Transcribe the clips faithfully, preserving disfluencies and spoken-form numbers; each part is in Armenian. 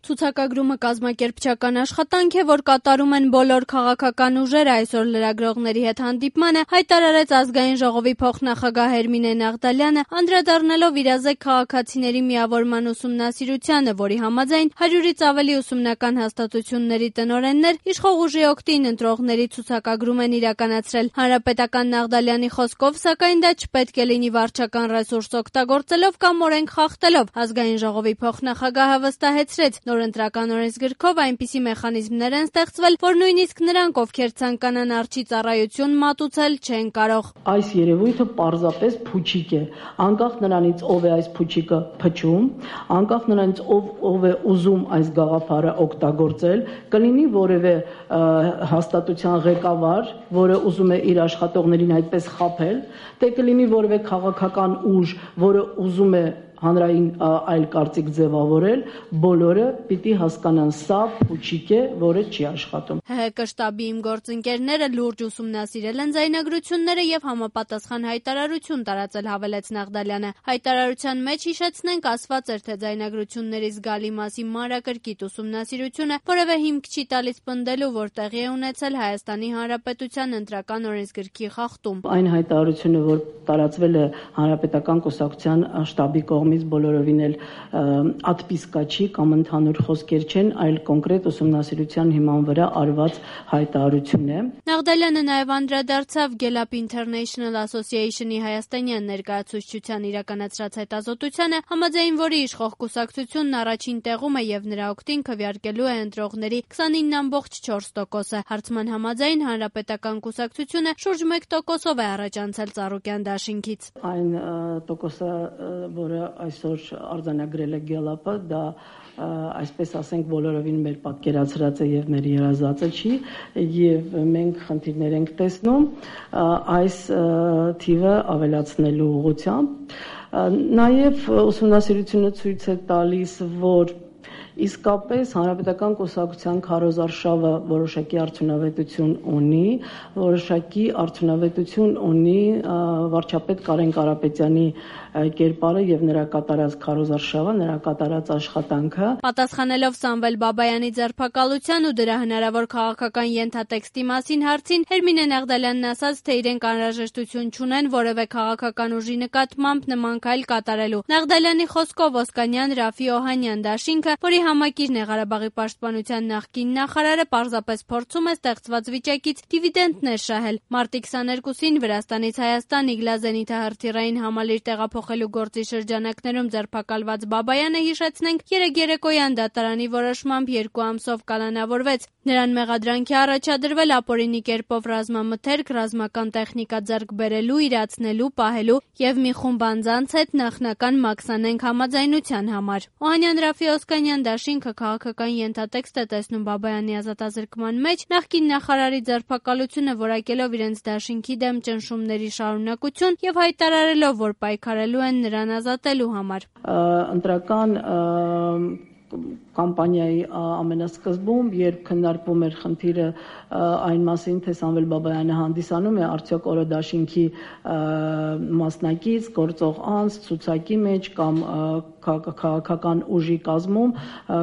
Ցուցակագրումը կազմակերպչական աշխատանք է, որ կատարում են բոլոր քաղաքական ուժերը, այսօր լրագրողների հետ հանդիպմանը հայտարարեց Ազգային ժողովի փոխնախագահ Հերմինե Նաղդալյանը, անդրադառնալով իրազեկ քաղաքացիների միավորման ուսումնասիրությանը, որի համաձայն հարյուրից ավելի ուսումնական հաստատությունների տնօրեններ իշխող ուժի օգտին ընտրողների ցուցակագրում են իրականացրել։ Հանրապետական Նաղդալյանի խոսքով, սակայն դա չպետք է լինի վարչական ռեսուրս օգտագործելով կամ օրենք խախտելով։ Ազգային ժողովի փոխնախագահը վստահեցրեց, նոր ընտրական օրենսգրքով այնպիսի մեխանիզմներ են ստեղծվել, որ նույնիսկ նրանք, ովքեր ցանկանան արջի ծառայություն մատուցել, չեն կարող։ Այս երևույթը պարզապես փուչիկ է, անկախ նրանից ով է այս փուչիկը փչում, անկախ նրանից ով ով է ուզում այս գաղափարը օգտագործել, կլինի որևէ հաստատության ղեկավար, որը ուզում է իր աշխատողներին այդպես խաբել, թե կլինի որևէ քաղաքական ուժ, որը ուզում է հանրային այլ կարծիք ձևավորել, բոլորը պիտի հասկանան, սա փուչիկ է, որը չի աշխատում։ ՀՀԿ շտաբի իմ գործընկերները լուրջ ուսումնասիրել են ձայնագրությունները եւ համապատասխան հայտարարություն տարածել, հավելեց Նաղդալյանը։ Հայտարարության մեջ, հիշեցնենք, ասված էր, թե ձայնագրությունների զգալի մասի մանրակրկիտ ուսումնասիրությունը որևէ հիմք չի տալիս պնդելու, որ տեղի է ունեցել Հայաստանի Հանրապետության ընտրական օրենսգրքի խախտում։ Այն հայտարարությունը, որ տարածվել է Հանրապետական կուսակցության շտաբի կողմից, բոլորովին էլ ատպիսկա չի կամ ընդհանուր խոսքեր չեն, այլ կոնկրետ ուսումնասիրության հիման վրա արված հայտարարություն է։ Նաղդալյանը նաև անդրադարձավ Gallup International Association-ի հայաստանյան ներկայացուցչության իրականացրած հետազոտությանը, համաձայն որի իշխող կուսակցությունն առաջին տեղում է եւ նրա օգտին քվեարկելու է ընտրողների քսանինը ամբողջ չորս տոկոսը։ Հարցման համաձայն Հանրապետական կուսակցությունը շուրջ մեկ տոկոսով է առաջանցել Ծառուկյան դաշինքից։ Այն տոկոսը, որը այսօր արձանագրել է Gallup-ը, դա այսպես ասենք բոլորովին մեր պատկերացրած է եւ մեր երազածը չի, եւ մենք խնդիրներ ենք տեսնում այս թիվը ավելացնելու ուղղությամբ։ Նաեւ ուսումնասիրությունը ցույց է տալիս, որ իսկապես Հանրապետական կուսակցության քարոզարշավը որոշակի արդյունավետություն ունի, որոշակի արդյունավետություն ունի վարչապետ Կարեն Կարապետյանի կերպարը եւ նրա կատարած քարոզարշավը, նրա կատարած աշխատանքը։ Պատասխանելով Սամվել Բաբայանի ձերբակալության ու դրա հնարավոր քաղաքական ենթատեքստի մասին հարցին, Հերմինե Նաղդալյանն ասաց, թե իրենք անհրաժեշտություն չունեն որևէ քաղաքական ուժի նկատմամբ նման քայլ կատարելու։ Նաղդալյանի խոսքով Օսկանյան Ռաֆի Օհանյան դաշինքը, որի համակիրն է Ղարաբաղի պաշտպանության նախկին նախարարը, պարզապես փորձում է ստեղծված վիճակից դիվիդենտներ շահել։ Մարտի քսաներկուսին Վրաստանից Հայաստան իգլազենիթահրթիռային համալիր տեղափոխելու գործի շրջանակներում ձերբակալված Բաբայանը, հիշեցնենք, երեկ երեկոյան դատարանի որոշմամբ երկու ամսով կալանավորվեց։ Նրան մեղադրանքի առաջադրվել ապօրինի կերպով ռազմամթերք, ռազմական տեխնիկա ձեռք բերելու, իրացնելու, պահելու եւ մի խումբ անձանց հետ նախնական մաքսանենգ համաձայնության համար։ Օհանյան Ռաֆի Օսկանյան դաշինքը քաղաքական ենթատեքստ է տեսնում Բաբայանի ազատազրկման մեջ, նախկին նախարարի ձերբակալությունը որակելով իրենց դաշինքի դեմ ճնշումների շարունակություն եւ հայտարարելով, որ պայքարելու են նրան ազատելու համար։ Ընտրական կամպանիայի ամենասկզբում, երբ քննարկվում էր խնդիրը այն մասին, թե Սամվել Բաբայանը հանդիսանում է արդյոք օրը դաշինքի մասնակից, գործող անձ, ցուցակի մեջ կամ քաղաքական ուժի կազմում,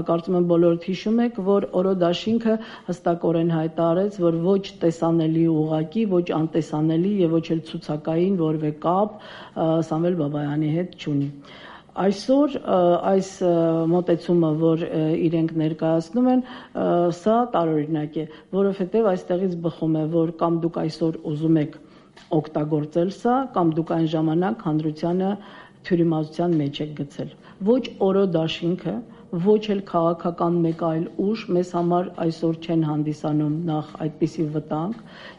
կարծում եմ բոլորդ հիշում եք, որ օրը դաշինքը հստակորեն հայտարարեց, որ ոչ տեսանելի ուղղակի, ոչ անտեսանելի եւ ոչ էլ ցուցակային որևէ կապ Սամվել Բաբայանի հետ չունի։ Այսօր այս մոտեցումը, որ իրենք ներկայացնում են, սա տարօրինակ է, որովհետև այստեղից բխում է, որ կամ դուք այսօր ուզում եք օգտագործել սա, կամ դուք այն ժամանակ հանրությանը թյուրիմացության մեջ եք գցել։ Ոչ օրո դաշինքը, ոչ էլ քաղաքական մեկ այլ ուժ մեզ համար այսօր չեն հանդիսանում նախ այդպիսի վտանգ,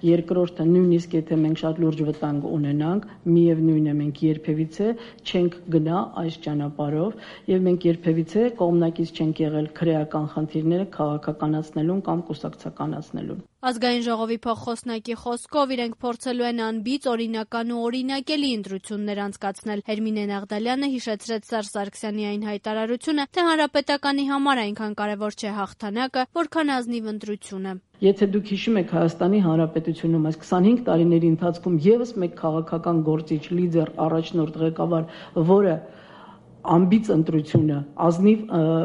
երկրորդը նույնիսկ եթե մենք շատ լուրջ վտանգ ունենանք, միևնույն է մենք երբևիցե չենք գնա այս ճանապարհով եւ մենք երբևիցե կողմնակից չենք եղել քրեական խնդիրները քաղաքականացնելուն կամ կուսակցականացնելուն։ Ազգային ժողովի փոխխոսնակի խոսքով իրենք փորձելու են անբիծ, օրինական ու օրինակելի ընտրություններ անցկացնել։ Հերմինե Նաղդալյանը հիշեցրեց Սերժ Սարգսյանի այն հայտարարությունը, թե Հանրապետականի համար այնքան կարևոր չէ հաղթանակը, որքան ազնիվ ընտրությունը։ Եթե դուք հիշում եք Հայաստանի Հանրապետությունում այս քսանհինգ տարիների ընթացքում եւս մեկ քաղաքական գործիչ, լիդեր, առաջնորդ, ղեկավար, որը ամբից ընտրությունը, ազնիվ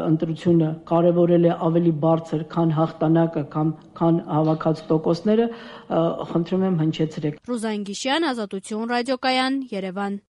ընտրությունը կարևորել է ավելի բարձր, քան հաղթանակը կամ քան հավաքած տոկոսները, խնդրում եմ հնչեցրեք։ Ռուզան Գիշյան, Ազատություն ռադիոկայան, Երևան։